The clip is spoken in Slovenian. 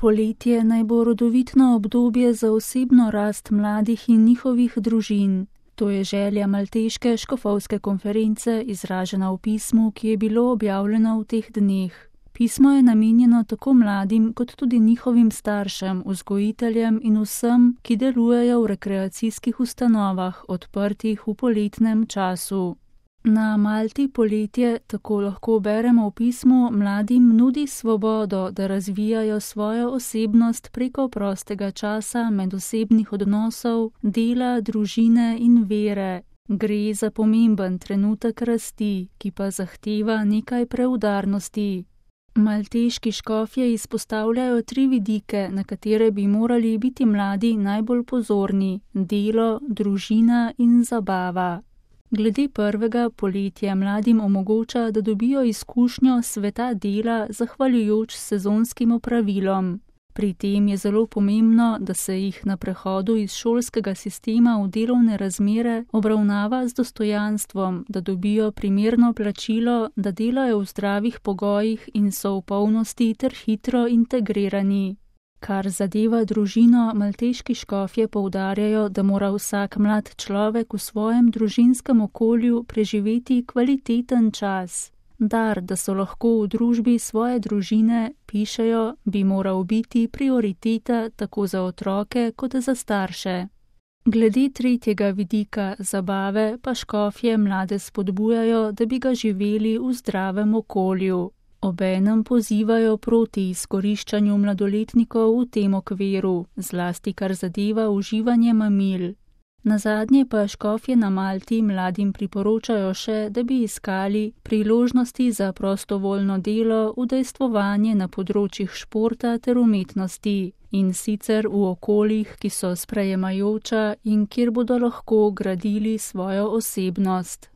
Poletje naj bo rodovitno obdobje za osebno rast mladih in njihovih družin. To je želja Malteške škofovske konference, izražena v pismu, ki je bilo objavljeno v teh dneh. Pismo je namenjeno tako mladim, kot tudi njihovim staršem, vzgojiteljem in vsem, ki delujejo v rekreacijskih ustanovah, odprtih v poletnem času. Na Malti poletje, tako lahko beremo v pismu, mladim nudi svobodo, da razvijajo svojo osebnost preko prostega časa, medosebnih odnosov, dela, družine in vere. Gre za pomemben trenutek rasti, ki pa zahteva nekaj preudarnosti. Malteški škofje izpostavljajo 3 vidike, na katere bi morali biti mladi najbolj pozorni: delo, družina in zabava. Glede prvega, poletje mladim omogoča, da dobijo izkušnjo sveta dela zahvaljujoč sezonskim opravilom. Pri tem je zelo pomembno, da se jih na prehodu iz šolskega sistema v delovne razmere obravnava z dostojanstvom, da dobijo primerno plačilo, da delajo v zdravih pogojih in so v polnosti ter hitro integrirani. Kar zadeva družino, malteški škofje poudarjajo, da mora vsak mlad človek v svojem družinskem okolju preživeti kvaliteten čas. Dar, da so lahko v družbi svoje družine, pišejo, bi moral biti prioriteta tako za otroke kot za starše. Glede tretjega vidika, zabave, pa škofje mlade spodbujajo, da bi ga živeli v zdravem okolju. Obenem pozivajo proti izkoriščanju mladoletnikov v tem okviru, zlasti kar zadeva uživanje mamil. Nazadnje pa škofje na Malti mladim priporočajo še, da bi iskali priložnosti za prostovoljno delo, udejstvovanje na področjih športa ter umetnosti, in sicer v okoljih, ki so sprejemajoča in kjer bodo lahko gradili svojo osebnost.